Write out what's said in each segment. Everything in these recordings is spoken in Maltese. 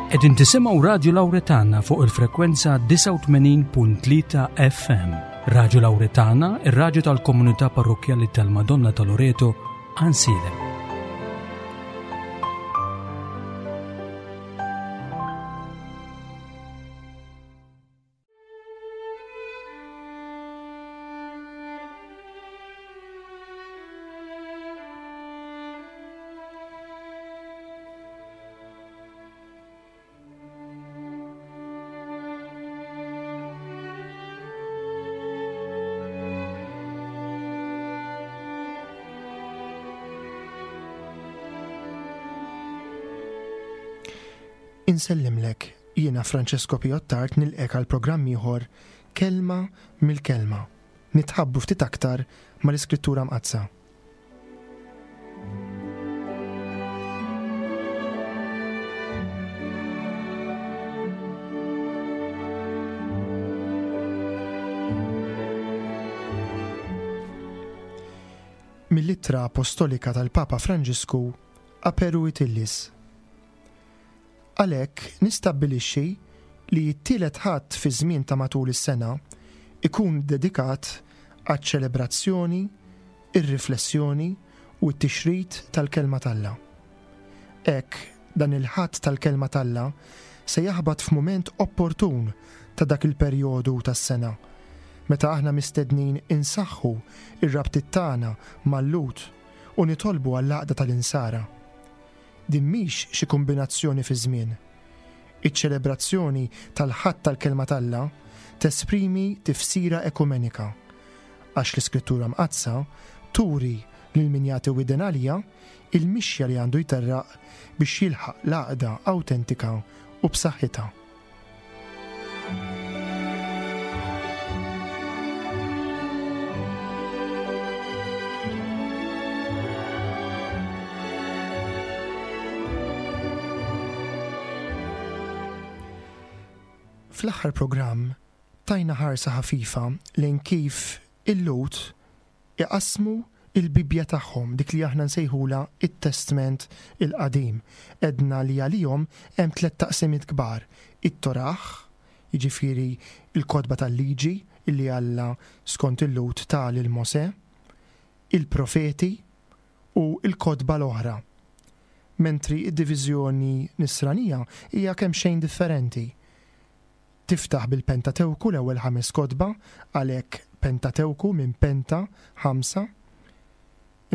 Qegħdin tisimgħu Radju Lawretana fuq il-frekwenza 89.3 FM. Radju Lawretana, ir-radju tal-komunità parrokkjali tal-Madonna ta' Loreto, Ansilem. Insellimlek, jiena Francesco Piottart nilqek għal programm ieħor Kelma mill-Kelma. Nitħabbu ftit aktar mal-Iskrittura Mqaddsa. Mill-Ittra Apostolika tal-Papa Franġisku Aperuit Illis. Għalhekk nistabbilixxi li t-tielet Ħadd fiż-żmien ta' matul is-sena jkun dedikat għaċ-ċelebrazzjoni, ir-riflessjoni u t-tixrid tal-Kelma t'Alla. Hekk, dan il-Ħadd tal-Kelma t'Alla se jaħbat f'mument opportun ta' dak il-perjodu tas-sena, meta aħna mistednin insaħħu r-rabtiet tagħna mal-Lhud u nitolbu għall-għaqda tal-Insara. Din mhix xi kumbinazzjoni fiż-żmien. Iċ-ċelebrazzjoni tal-Ħadd tal-Kelma t'Alla tesprimi tifsira ekumenika, għax l-Iskrittura Mqaddsa turi lil min jagħti widen għaliha il-mixja li għandu jterraq biex jilħaq l-għaqda awtentika u b'saħħitha. Fl-aħħar programm tajna ħarsa ħafifa lejn kif il-Lhud iqassmu l-Bibbja tagħhom, dik li aħna nsejħulha t-Testment il-Qadim. Għedna li għalihom hemm tlett taqsimiet kbar, it-Torah, jiġifieri l-kotba tal-liġi li Alla skont il-Lhud ta lil Mosè, il-Profeti u l-kotba l-oħra. Mentri d-diviżjoni Nisranija hija kemxejn differenti. Tiftaħ bil-Pentatewku, l-ewwel ħames kotba, għalhekk Pentatewku minn penta, ħamsa.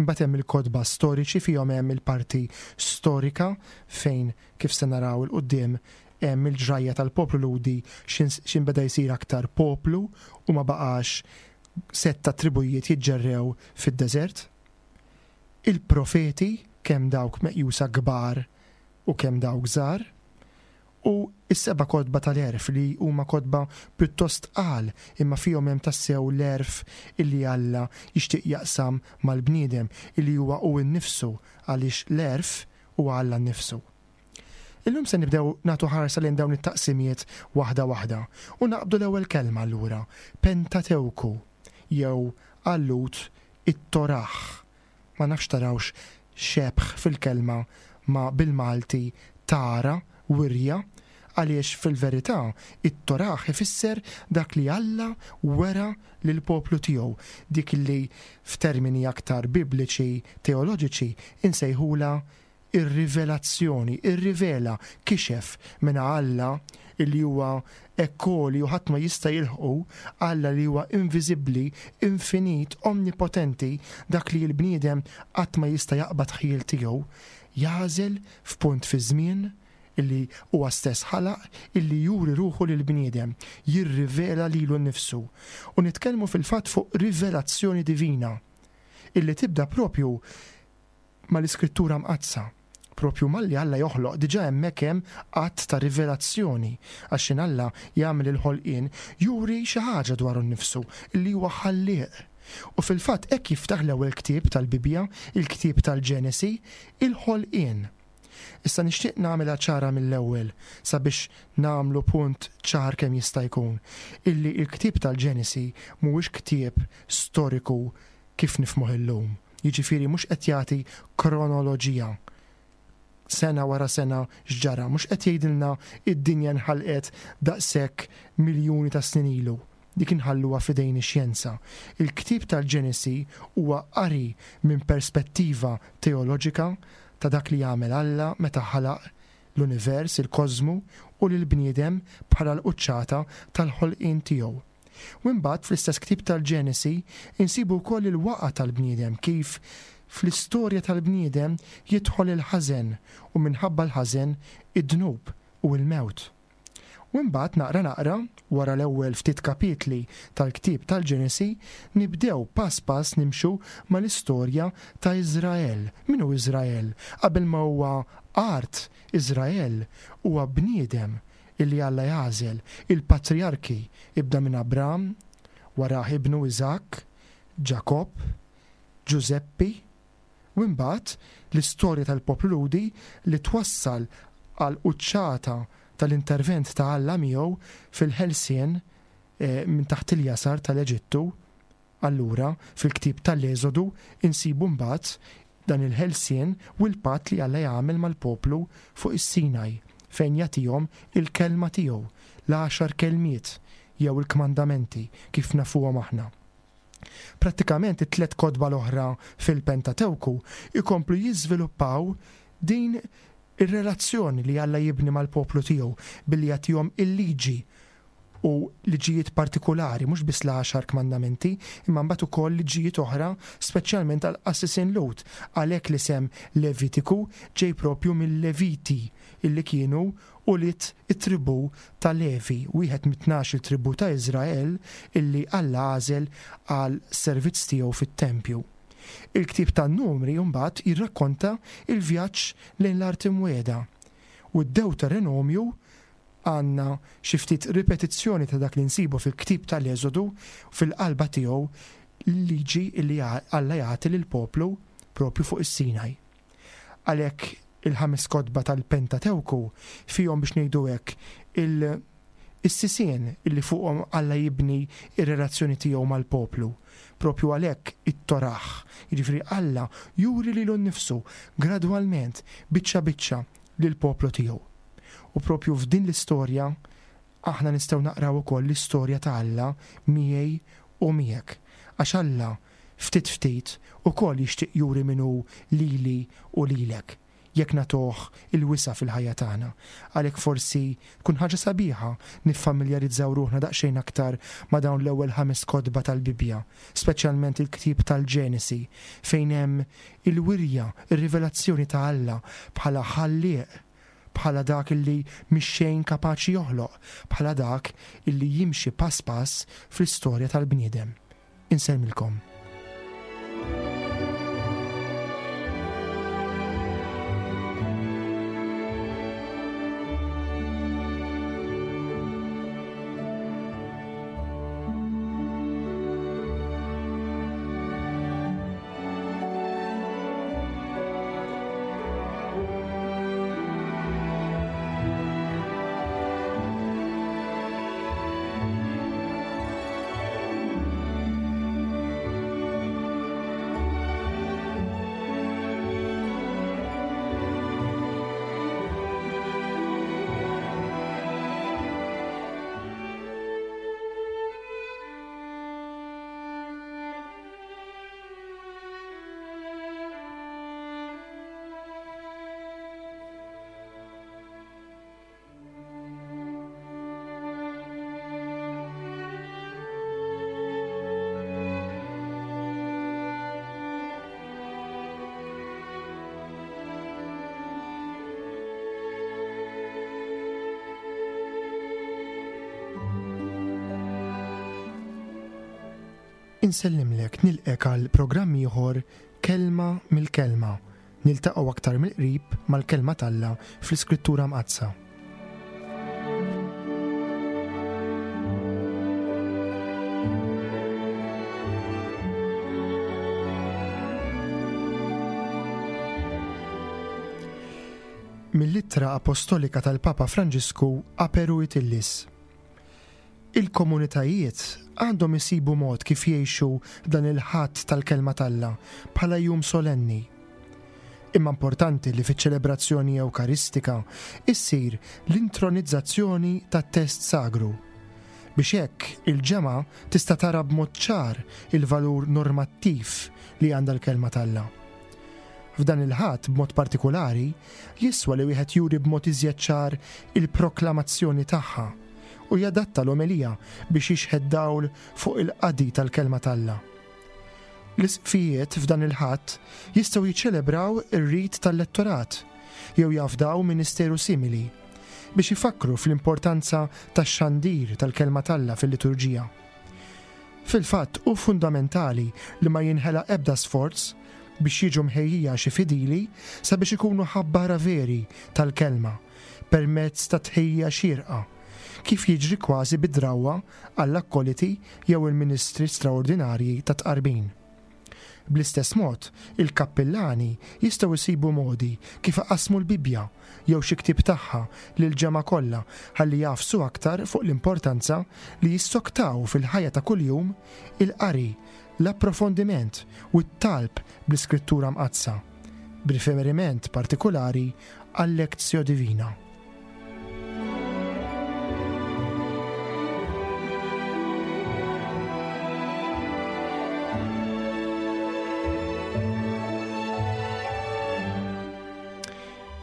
Imbagħad hemm il-kotba storiċi fihom hemm il-parti storika fejn kif se naraw 'il quddiem hemm il-ġrajja tal-poplu Lhudi x'in beda jsir aktar poplu u ma baqax sett ta' tribujiet jiġġerrew fid-deżert. Il-profeti kemm dawk meqjusa kbar u kemm dawk żgħar. U s-seba' kotba tal-għerf li huma kotba pjuttost tqal imma fihom hemm tassew l-għerf illi Alla jixtieq jaqsam mal-bniedem illi huwa hu nnifsu għaliex l-għerf huwa Alla nnifsu. Illum se nibdew nagħtu ħarsa lejn dawn it-taqsimiet waħda waħda u naqbdu l-ewwel kelma allura, Pentatewku jew għal-Lhud it-Torah. Ma nafx tarawx xebh fil-kelma ma' bil-Malti tara, wirja, għaliex fil-verità it-Torah ifisser dak li Alla wera lill-poplu tiegħu, dik li f'termini aktar bibliċi teoloġiċi insejħulha ir-rivelazzjoni, irrivela, kixef, mela Alla li huwa hekk għoli u ħadd ma jista' jilħqu, Alla li huwa inviżibbli, infinit, omnipotenti, dak li l-bniedem qatt ma jista' jaqbad ħjiel tiegħu, jagħżel f'punt fiż-żmien illi huwa stess ħalaq illi juri ruħu lill-bniedem, jirrivela lilu nnifsu. U nitkellmu fil-fatt fuq rivelazzjoni divina illi tibda propju mal-Iskrittura Mqaddsa. Proprju malli Alla joħloq, diġà hemmhekk hemm att ta' rivelazzjoni, għax x'in Alla jagħmel il-ħolqien, juri xi ħaġa dwaru nnifsu, li huwa Ħallieq. U fil-fatt hekk jiftaħ l-ewwel ktieb tal-Bibbja, il-ktieb tal-Ġenesi, il-ħolqien. Issa nixtieq nagħmilha ċara mill-ewwel, sabiex nagħmlu punt ċar kemm jista' jkun, illi l-ktieb tal-Ġenesi mhuwiex ktieb storiku kif nifhmuh illum, jiġifieri mhux qed jagħti kronoloġija. sena wara sena x'ġara, mhux qed jgħidilna id-dinja nħalqet daqshekk miljuni ta' snin ilu. Dik inħalluha f'idejn ix-xjenza. Il-ktieb tal-Ġenesi huwa qari minn perspettiva teoloġika ta' dak li għamel Alla meta ħalaq l-univers, il-kożmu, u lill-bniedem bħala l-quċċata tal-ħolqien tiegħu. U imbagħad fl-istess ktieb tal-Ġenesi insibu wkoll il-waqgħa tal-bniedem kif fl-istorja tal-bniedem jidħol il-ħażen u minħabba l-ħażen id-dnub u l-mewt. U imbagħad naqra naqra, wara l-ewwel ftit kapitli tal-ktieb tal-Ġenesi, nibdew pass pass nimxu mal-istorja ta' Iżrael. Min hu Iżrael? Qabel ma huwa art, Iżrael huwa bniedem illi Alla jagħżel, il-patrijarki, ibda minn Abram, warah ibnu Iżakk, Ġakobb, Ġużeppi, U imbagħad l-istorja tal-poplu Lhudi li twassal għall-quċċata tal-intervent ta' Alla miegħu fil-ħelsien minn taħt il-jasar tal-Eġittu. Allura, fil-ktieb tal-Eżodu insibu mbagħad dan il-ħelsien u l-patt li Alla jagħmel mal-poplu fuq is-Sinaj fejn jagħtihom il-kelma tiegħu, l-għaxar kelmiet jew il-kmandamenti kif nafuhom aħna. Prattikament it-tlett kotba l-oħra fil-Pentatewku jkomplu jiżviluppaw din ir-relazzjoni li Alla jibni mal-poplu tiegħu billi jagħtihom il-liġi u liġijiet partikulari, mhux biss l-għaxar kmandamenti, imma mbagħad ukoll liġijiet oħra speċjalment għall-qassisin Lhud. Għalhekk l-isem Levitiku ġej propju mil-Leviti illi kienu ulied it-tribù ta' Levi, wieħed mit-tnax-il tribù ta' Iżrael illi Alla għażel għal servizz tiegħu fit-tempju. Il-ktieb tan-Numri mbagħad jirrakkonta l-vjaġġ lejn l-Art Imwiegħda. U d-Dewterenomju għandna xi ftit ripetizzjoni ta' dak li nsibu fil-ktieb tal-Eżodu fil-qalba tiegħu l-liġi li Alla jagħti lill-poplu propju fuq is-Sinaj. Għalhekk il-ħames kotba tal-Pentatewku fihom biex ngħidu hekk il is-sisien illi fuqhom Alla jibni r-relazzjoni tiegħu mal-poplu. Propju għalhekk it-Torah, jiġifieri Alla juri lilu nnifsu gradwalment, biċċa biċċa, lill-poplu tiegħu. U propju f'din l-istorja aħna nistgħu naqraw ukoll l-istorja ta' Alla miegħi u miegħek. Għax Alla ftit ftit, ukoll jixtieq juri min hu lili u lilek, jekk nagħtuh il-wisa' fil-ħajja tagħna. Għalhekk forsi tkun ħaġa sabiħa niffamiljarizzaw ruħna daqsxejn aktar ma' dawn l-ewwel ħames kotba tal-Bibbja, speċjalment il-ktieb tal-Ġenesi, fejn hemm il-wirja, ir-rivelazzjoni ta' Alla bħala Ħallieq, bħala dak illi mix-xejn kapaċi joħloq, bħala dak illi jimxi pass pass fl-istorja tal-bniedem. Insellmilkom. Insellimlek nilqek għal programm ieħor Kelma mill-Kelma. Niltaqgħu aktar mill-qrib mal-Kelma t'Alla fl-Iskrittura Mqaddsa. Mill-Ittra Apostolika tal-Papa Franġisku Aperuit Illis. Il-komunitajiet għandhom isibu mod kif jgħixu dan il-Ħadd tal-Kelma t'Alla bħala jum solenni. Imma importanti li fiċ-ċelebrazzjoni Ewkaristika issir l-intronizzazzjoni tat-test sagru, biex hekk il-ġemgħa tista' tara b'mod ċar il-valur normattiv li għandha l-Kelma t'Alla. F'dan il-Ħadd b'mod partikulari, jiswa li wieħed juri b'mod iżjed ċar il-proklamazzjoni tagħha u jadatta l-omelija biex jixħet dawl fuq il-qadi tal-Kelma t'Alla. L-isqfijiet f'dan il-Ħadd jistgħu jiċċelebraw ir-rit tal-lettorat jew jafdaw ministeru simili biex ifakkru fl-importanza tax-xandir tal-Kelma t'Alla fil-liturġija. Fil-fatt hu fundamentali li ma jinħela ebda sforz biex jiġu mħejjija xi fidili sabiex ikunu ħabbara veri tal-Kelma permezz ta' tħejjija xierqa, kif jiġri kważi bi drawwa għall-akkoliti jew il-ministri straordinarji tat-tqarbin. Bl-istess mod, il-kappillani jistgħu jsibu modi kif iqassmu l-Bibbja jew xi ktieb tagħha lill-ġemgħa kollha ħalli jagħfsu aktar fuq l-importanza li jissoktaw fil-ħajja ta' kuljum il-qari, l-approfondiment u t-talb bl-Iskrittura Mqaddsa, b'riferiment partikulari għal-Lectio Divina.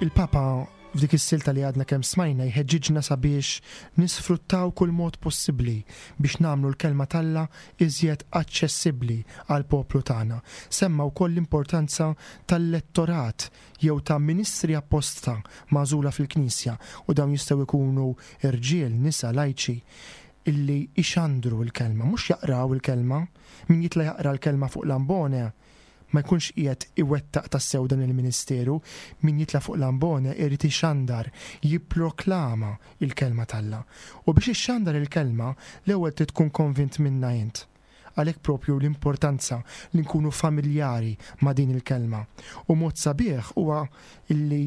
Il-Papa f'dik is-silta li għadna kemm smajna jħeġġiġna sabiex nisfruttaw kull mod possibbli biex nagħmlu l-Kelma t'Alla iżjed aċċessibbli għall-poplu tagħna. Semma wkoll l-importanza tal-lettorat jew ta' ministri apposta magħżula fil-Knisja, u dawn jistgħu jkunu rġiel, nisa, lajċi, illi jxandru l-Kelma, mhux jaqraw il-Kelma. Min jitla' jaqra l-Kelma fuq l-ambone ma jkunx qiegħed iwettaq tassew dan il-ministeru, min jitla' fuq l-ambone irid ixandar, jipproklama l-Kelma t'Alla. U biex ixxandar il-Kelma, l-ewwel trid tkun konvint minnha int. Għalhekk proprju l-importanza li nkunu familjari ma' din il-kelma. U mod sabiħ huwa li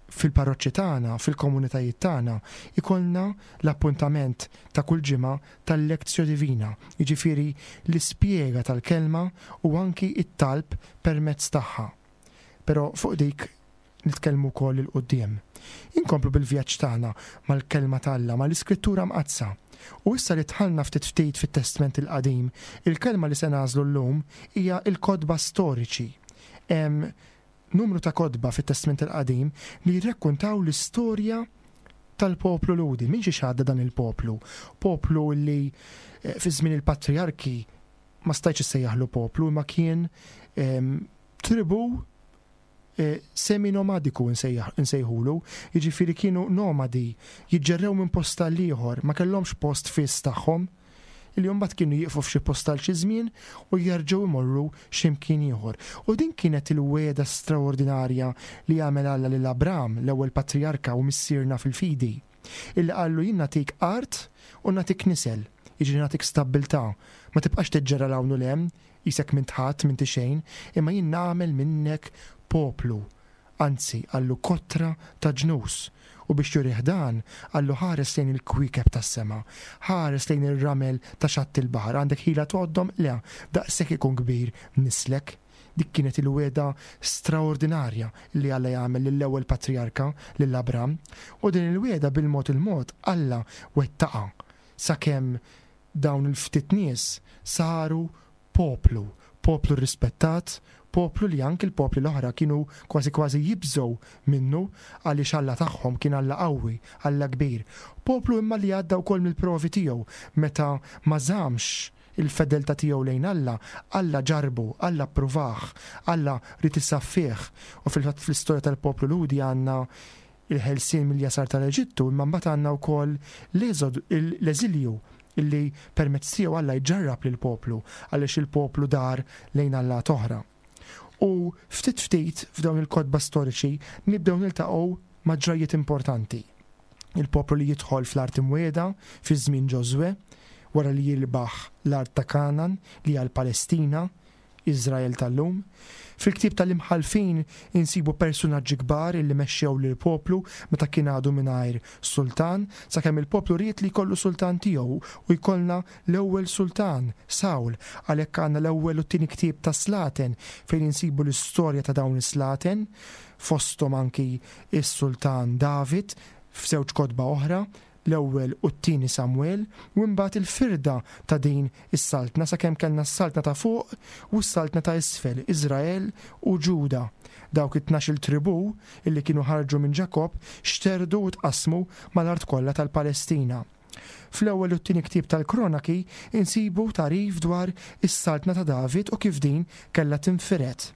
fil-parroċċi tagħna, fil-komunitajiet tagħna, ikollna l-appuntament ta' kull ġimgħa tal-Lectio Divina, jiġifieri l-ispjega tal-kelma u anki t-talb permezz tagħha. Però fuq dik nitkellmu wkoll 'il quddiem. Inkomplu bil-vjaġġ tagħna mal-Kelma ta' Alla, mal-Iskrittura Mqaddsa. U issa li dħalna ftit ftit fit-Testment il-Qadim, il-kelma li se nagħżlu llum hija l-kotba storiċi. Hemm numru ta' kotba fit-Testment il-Qadim li jirrakkuntaw l-istorja tal-poplu Lhudi. Minn xiex għadda dan il-poplu? Poplu li eh, fi żmien il-patriarki ma stajtx issejjaħlu poplu, imma kien ehm, tribu semi-nomadiku nsejħulu, jiġifieri kienu nomadi, jiġġerrew minn post għal ieħor, ma kellhomx post fiss tagħhom, illi mbagħad kienu jieqfu f'xi post għal xi żmien u jerġgħu jmorru xi mkien ieħor. U din kienet il-wegħda straordinarja li għamel Alla lil Abram, l-ewwel patrijarka u missierna fil-fidi, illi qallu jien nagħtik art u nagħtik nisel, jiġifieri nagħtik stabbiltà, ma tibqax tiġġerra 'l hawn u 'l hemm, Qisek m'int ħadd, m'inti xejn, imma jien nagħmel minnek poplu, anzi, qallu kotra ta' ġnus. U biex jurih dan, qallu ħares lejn il-kwiekeb tas-sema, ħares lejn ir-ramel ta' xatt il-baħar, għandek ħila tgħoddhom? Le, daqshekk ikun kbir nislek. Dik kienet il-wegħda straordinarja li Alla jagħmel lill-ewwel patrijarka, lil Abram. U din il-wegħda bil-mod il-mod Alla wettaqha sakemm Dawn il-ftit nies saru poplu, poplu rrispettat, poplu li anki l-popli l-oħra kienu kważi kważi jibżgħu minnu għaliex Alla tagħhom kien Alla qawwi, Alla kbir. Poplu imma li għadda wkoll mill-provi tiegħu meta ma żammx il-fedeltà tiegħu lejn Alla, Alla ġarrbu, Alla ppruvah, Alla ried isaffih. U fil-fatt fl-istorja tal-poplu Lhudi għandna il-ħelsien mill-jasar tal-Eġittu, imma mbagħad għandna wkoll l-eżilju li permezz tiegħu Alla jġarrab lill-poplu għaliex il-poplu dar lejn allat oħra. U ftit ftit f'dawn il-kotba storiċi nibdew niltaqgħu ma' ġrajjiet importanti. Il-poplu li jidħol fl-art imwiegħda fi żmien Ġożwè, wara li jirbaħ l-art ta' Kanan li hija l-Palestina. Iżrael tal-lum. Fil-ktieb tal-Imħallfin insibu persunaġġi kbar illi mexxew lill-poplu meta kien għadu mingħajr sultan, sakemm il-poplu ried li jkollu sultan tiegħu u jkollna l-ewwel sultan, Sawl. Għalhekk għandna l-ewwel u t-tieni ktieb tas-Slaten fejn insibu l-istorja ta' dawn is-slaten, fosthom anki s-sultan David f'żewġ kotba oħra, l-Ewwel u t-Tieni Samwel, u imbagħad il-firda ta' din is-saltna sakemm kellna s-saltna ta' fuq u s-saltna ta' isfel, Iżrael u Ġuda. Dawk it-tnax-il tribù illi kienu ħarġu minn Ġakobb xterdu u tqassmu mal-art kollha tal-Palestina. Fl-Ewwel u t-Tieni Ktieb tal-Kronaki insibu tagħrif dwar is-saltna ta' David u kif din kellha tinfired.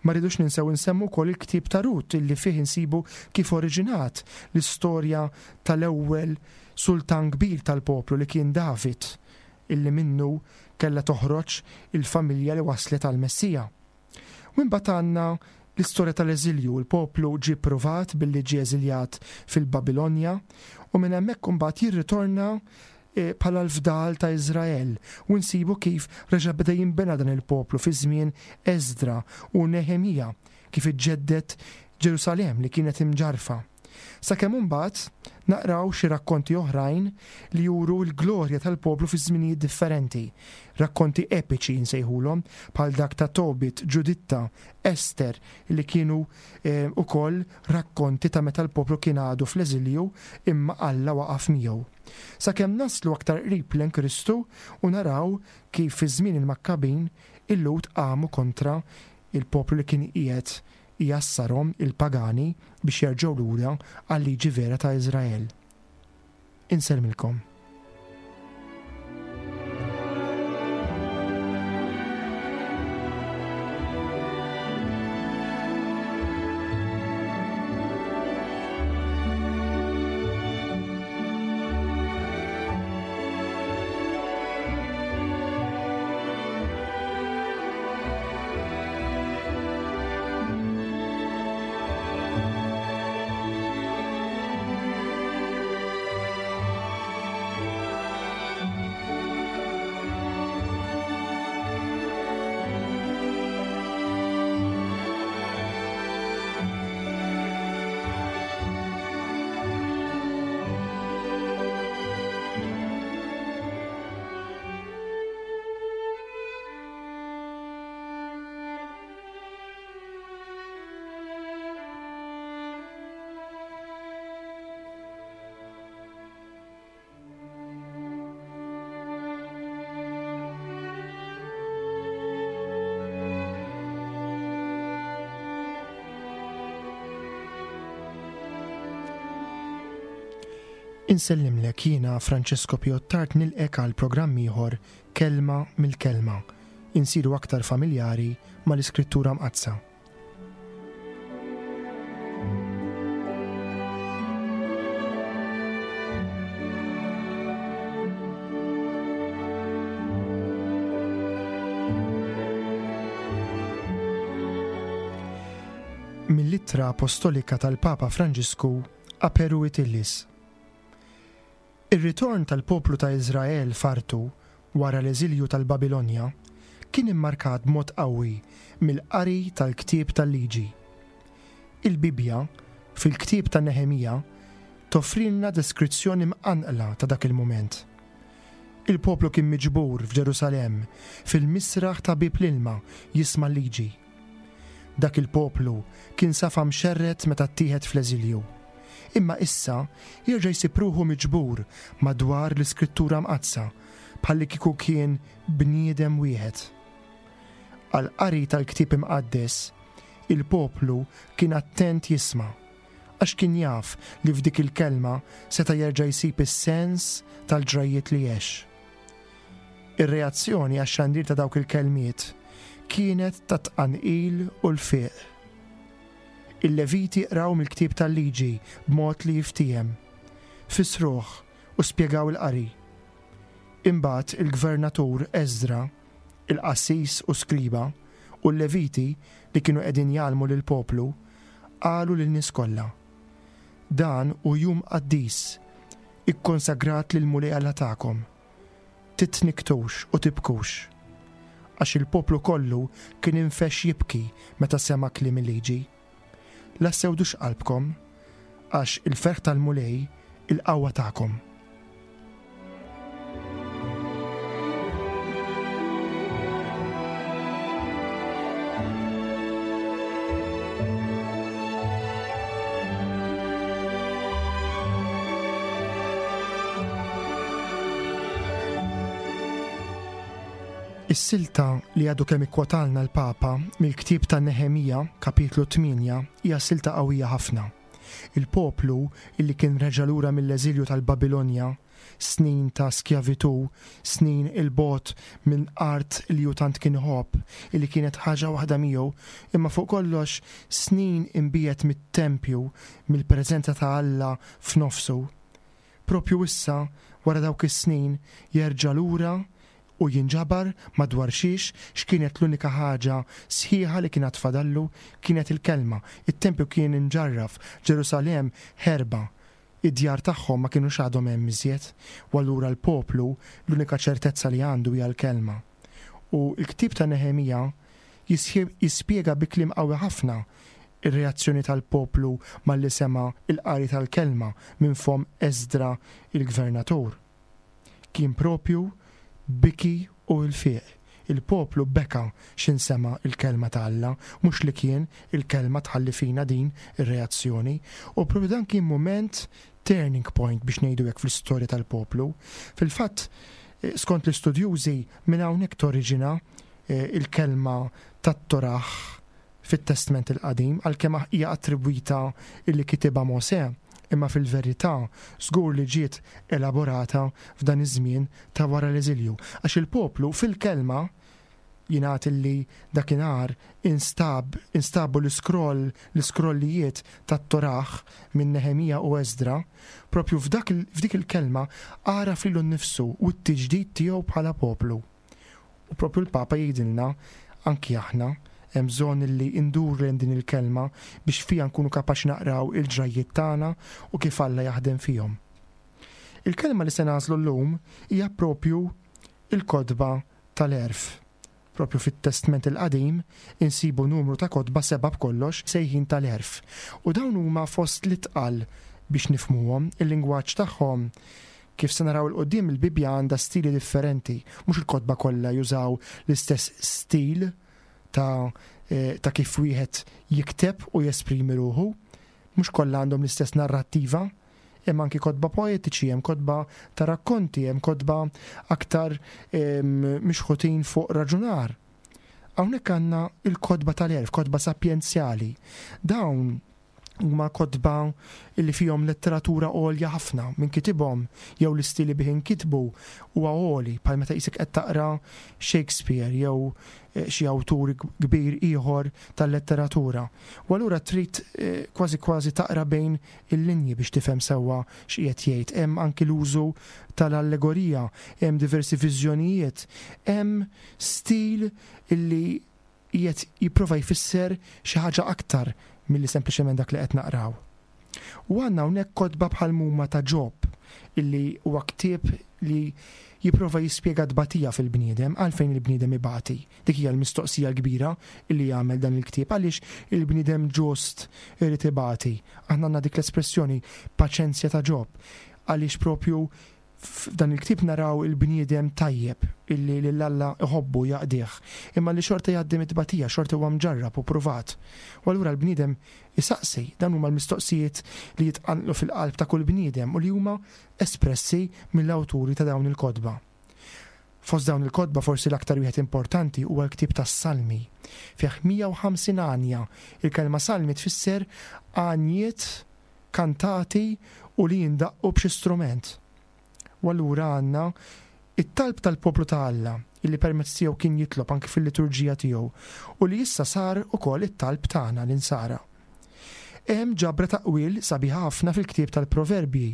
Ma rridux ninsew insemmu wkoll il-ktieb ta' Rut illi fih insibu kif oriġinat l-istorja tal-ewwel sultan kbir tal-poplu li kien David illi minnu kellha toħroġ il-familja li waslet għall-Messija. U imbagħad għandna l-istorja tal-eżilju, il-poplu ġie ppruvat billi ġie eżiljat fil-Babilonja u minn hemmhekk imbagħad jirritorna bħala l-fdal ta' Iżrael, u nsibu kif reġa' beda jinbena dan il-poplu fi żmien Esdra u Neħemija, kif iġġedded Ġerusalemm li kienet imġarrfa. Sakemm imbagħad naqraw xi rakkonti oħrajn li juru l-glorja tal-poplu fi żminijiet differenti, rakkonti epiċi nsejħulhom, bħal dak ta' Tobit, Ġuditta, Ester, li kienu wkoll rakkonti ta' meta l-poplu kien għadu fl-eżilju imma Alla waqaf miegħu. Sakemm naslu aktar qrib lejn Kristu u naraw kif fi żmien il-Makkabin il-Lhud qamu kontra il-poplu li kien qiegħed ijassarhom, il-pagani, biex jerġgħu lura għal-liġi vera ta' Iżrael. Insellmilkom. Insellimlek jiena Francesco Piottart nilqek għal programm ieħor Kelma mill-Kelma. Insiru aktar familjari mal-Iskrittura Mqaddsa. Mill-Ittra Apostolika tal-Papa Franġisku Aperuit Illis. Ir-ritorn tal-poplu ta' Iżrael f'artu wara l-eżilju tal-Babilonja kien immarkat b'mod qawwi mill-qari tal-ktieb tal-Liġi. Il-Bibbja, fil-ktieb ta' Neħemija, toffrilna deskrizzjoni mqanqla ta' dak il-mument. Il-poplu kien miġbur f'Ġerusalemm fil-misraħ ta' Bieb l-Ilma jisma' l-Liġi. Dak il-poplu kien safa mxerred meta ttieħed fl-eżilju. Imma issa jerġa' jsib ruħu miġbur madwar l-Iskrittura Mqaddsa bħallikieku kien bniedem wieħed. Għall-qari tal-Ktieb Imqaddes, il-poplu kien attent jisma', għax kien jaf li f'dik il-kelma seta' jerġa' jsib is-sens tal-ġrajjiet li għex. Ir-reazzjoni għax-xandir ta' dawk il-kelmiet kienet ta' tqanqil u lfiq. Il-Leviti qraw mill-ktieb tal-Liġi b'mod li jiftiehem, fissruh u spjegaw il-qari. Imbagħad il-gvernatur Esdra, il-qassis u skriba, u l-Leviti li kienu qegħdin jgħallmu lill-poplu, qalu lin-nies kollha, Dan hu jum qaddis, ikkonsagrat lill-Mulej Alla tagħkom. Titnikktux u tibkux. Għax il-poplu kollu kien infexx jibki meta sema' kliem il-liġi. La ssewdux qalbkom, għax il-ferħ tal-Mulej il-qawwa tagħkom. Is-silta li għadu kemm ikkwotalna l-Papa mill-ktieb ta' Neħemija, kapitlu 8, hija silta qawwija ħafna. Il-poplu illi kien reġa' lura mill-eżilju tal-Babilonja, snin ta' skjavitù, snin 'il bogħod minn art li hu tant kien iħobb, illi kienet ħaġa waħda miegħu, imma fuq kollox snin imbiegħed mit-tempju, mill-preżenza ta' Alla f'nofsu. Proprju issa, wara dawk is-snin, jerġa' lura u jinġabar madwar xiex, x'kienet l-unika ħaġa sħiħa li kien għad fadallu, kienet il-Kelma. It-tempju kien imġarraf, Ġerusalemm ħerba, id-djar tagħhom ma kinux għadhom hemm iżjed, u allura l-poplu l-unika ċertezza li għandu hija l-Kelma. U l-ktieb ta' Neħemija jispjega bi kliem qawwi ħafna r-reazzjoni tal-poplu malli sema' l-qari tal-Kelma minn fomm Esdra l-gvernatur. Kien proprju biki u ilfiq. Il-poplu beka x'in sema' l-Kelma ta' Alla, mhux li kien il-Kelma tħalli fina din ir-reazzjoni. U proprju dan kien mument turning point biex ngħidu hekk fl-istorja tal-poplu. Fil-fatt, skont l-istudjużi, minn hawnhekk toriġina l-kelma tat-Torah fit-Testment il-Qadim, għalkemm hija attribwita illi kitibha Mosè, imma fil-verità żgur li ġiet elaborata f'dan iż-żmien ta' wara l-eżilju, għax il-poplu fil-kelma jingħad illi dakinhar instab instabu l-iskroll l-iskrollijiet tat-Torah minn Neħemija u Esdra, proprju f'dak f'dik il-kelma għaraf lilu nnifsu u t-tiġdid tiegħu bħala poplu. U proprju l-Papa jgħidilna, anki aħna, hemm bżonn illi nduru lejn din il-kelma biex fiha nkunu kapaċi naqraw il-ġrajjiet tagħna u kif Alla jaħdem fihom. Il-kelma li se nagħżlu llum hija proprju il-kotba tal-għerf. Proprju fit-Testment il-Qadim insibu numru ta' kotba sebgħa b'kollox sejħin tal-għerf. U dawn huma fost l-itqal biex nifhmuhom, il-lingwaġġ tagħhom Kif se naraw 'il quddiem, il-Bibbja għandha stili differenti. Mhux il-kotba kollha jużaw l-istess stil ta' ta' kif wieħed jikteb u jesprimi ruħu. Mhux kollha għandhom l-istess narrattiva. Hemm anki kotba poetiċi, hemm kotba ta' rakkonti, hemm kotba aktar mixħutin fuq raġunar. Hawnhekk għandna l-kotba tal-għerf, kotba sapjenzjali. Dawn huma kotba li fihom letteratura għolja ħafna, min kitibhom jew l-istil li bih inkitbu huwa għoli, bħal meta qisek qed taqra Shakespeare jew eh, xi awtur kbir ieħor tal-letteratura. U allura trid eh, kważi kważi taqra bejn il-linji biex tifhem sewwa x'qiegħed jgħid. Hemm anki l-użu tal-allegorija, hemm diversi viżjonijiet, hemm stil illi qiegħed jipprova jfisser xi ħaġa aktar milli sempliċement dak li qed naqraw. U għandna hawnhekk kotba bħal m'huma ta' Ġob, illi huwa ktieb li jipprova jispjega t-tbatija fil-bniedem, għalfejn il-bniedem ibati. Dik hija l-mistoqsija l-kbira illi jagħmel dan il-ktieb, għaliex il-bniedem ġust irid ibati. Aħna għandna dik l-espressjoni paċenzja ta' Ġob, għaliex propju F'dan il-ktieb naraw il-bniedem tajjeb illi lil Alla iħobbu u jaqdih, imma li xorta jgħaddi mit-tbatija, xorta huwa mġarrab u pruvat. U allura l-bniedem isaqsi, dawn huma l-mistoqsijiet li jitqanqlu fil-qalb ta' kull bniedem u li huma espressi mill-awturi ta' dawn il-kotba. Fost dawn il-kotba forsi l-aktar wieħed importanti huwa l-ktieb tas-Salmi. Fih 150 għanja. Il-kelma salmi tfisser għanjiet kantati u li jindaqqu b'xi strument. U allura għandna it-talb tal-poplu ta' Alla, illi permezz tiegħu kien jitlob anki fil-liturġija tiegħu, u li issa sar ukoll it-talb tagħna l-insara. Hemm ġabra ta' qwiel sabiħa ħafna fil-ktieb tal-Proverbji,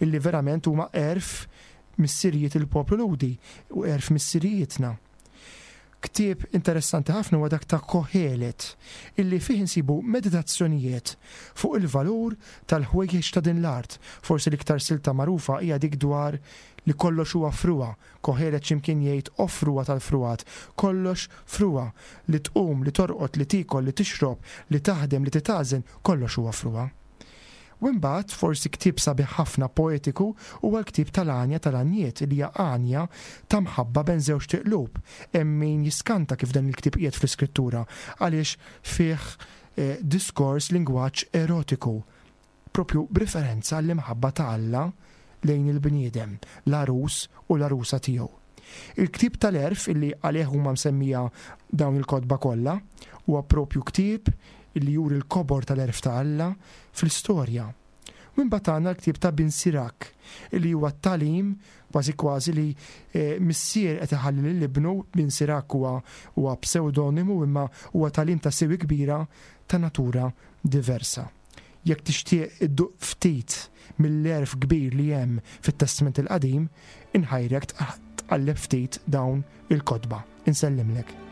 illi verament huma għerf missirijiet il-poplu Lhudi u għerf missirijietna. Ktieb interessanti ħafna huwa dak ta' Kohelet, illi fih insibu meditazzjonijiet fuq il-valur tal-ħwejjeġ ta' din l-art. Forsi l-iktar silta magħrufa hija dik dwar li kollox huwa frugħa. Kohelet xi mkien jgħid o frugħa tal-frugħat, kollox frugħa, li tqum, li torqod, li tiekol, li tixrob, li taħdem, li titgħażen, kollox huwa frugħa. U imbagħad, forsi ktieb sabiħ ħafna poetiku huwa l-ktieb tal-Għanja tal-Għanjiet li hija għanja ta' mħabba bejn żewġt iqlub. Hemm min jiskanta kif dan il-ktieb qiegħed fl-Iskrittura għaliex fih diskors lingwaġġ erotiku, propju b'riferenza għall-imħabba ta' Alla lejn il-bniedem, l-għarus u l-għarusa tiegħu. Il-ktieb tal-Għerf illi għalih huma msemmija dawn il-kotba kollha, huwa propju ktieb illi juri l-kobor tal-għerf ta' Alla fl-istorja. U imbagħad għandna l-ktieb ta' Bin Sirak, illi huwa t-tagħlim kważi kważi li missier qed iħalli lil ibnu, Bin Sirak huwa huwa psewdonimu imma huwa tagħlim ta' siwi kbira ta' natura diversa. Jekk tixtieq idduq ftit mill-għerf kbir li hemm fit-Testment il-Qadim, inħajrek tqalleb ftit dawn il-kotba. Insellimlek.